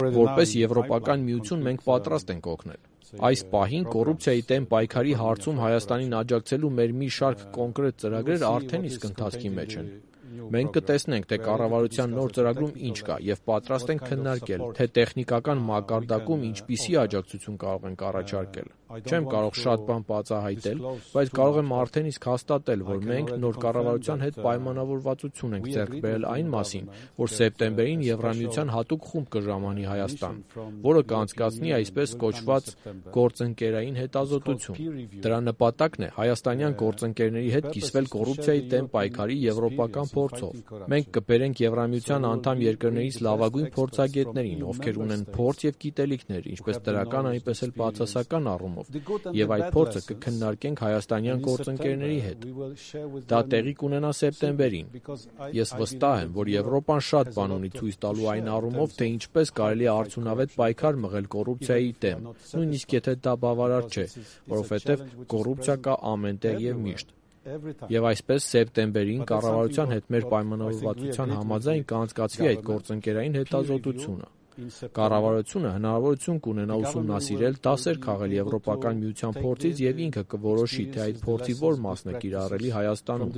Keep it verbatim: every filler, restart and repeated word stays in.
Որպես Եվրոպական միություն մենք պատրաստ ենք օգնել։ Այս պահին կոռուպցիայի դեմ պայքարի հարցում Հայաստանին աջակցելու մեր մի շարք կոնկրետ ծրագրեր արդեն իսկ ընթացքի մեջ են։ Մենք կտեսնենք, թե կառավարության նոր ծրագրում ինչ կա և պատրաստ ենք քննարկել, թե տեխնիկական մակարդակում ինչպիսի աջակցություն կարող ենք առաջարկել։ Չեմ կարող շատ բան բացահայտել, բայց կարող եմ արդեն իսկ հաստատել, որ մենք նոր կառավարության հետ պայմանավորվածություն ենք ձեռք բերել այն մասին, որ սեպտեմբերին Եվրամիության հատուկ խումբ կժամանի Հայաստան, որը կանցկացնի այսպես կոչված գործընկերային հետազոտություն։ Դրա նպատակն է հայաստանյան գործընկերների հետ կիսվել կոռուպցիայի դեմ պայքարի եվրոպական փորձով։ Մենք կբերենք Եվրամիության անդամ երկրներից լավագույն փորձագետներին, ովքեր ունեն փորձ և գիտելիքներ, ինչպես դրական, այնպես էլ բացասական առումով, և այդ փորձը կքննարկենք հայաստանյան գործընկերների հետ։ Դա տեղի կունենա սեպտեմբերին։ Ես վստահ եմ, որ Եվրոպան շատ բան ունի ցույց տալու այն առումով, թե ինչպես կարելի է արդյունավետ պայքար մղել կոռուպցիայի դեմ, նույնիսկ եթե դա բավարար չէ, որովհետև կոռուպցիա կա ամենտեղ և միշտ։ Եվ այսպես սեպտեմբերին կառավարության հետ մեր պայմանավորվածության համաձայն կանցկացվի այդ գործընկերային հետազոտությունը։ Կառավարությունը հնարավորություն կունենա ուսումնասիրել, դասեր քաղել Եվրոպական միության փորձից և ինքը կորոշի, թե այդ փորձի որ մասն է կիրառելի Հայաստանում։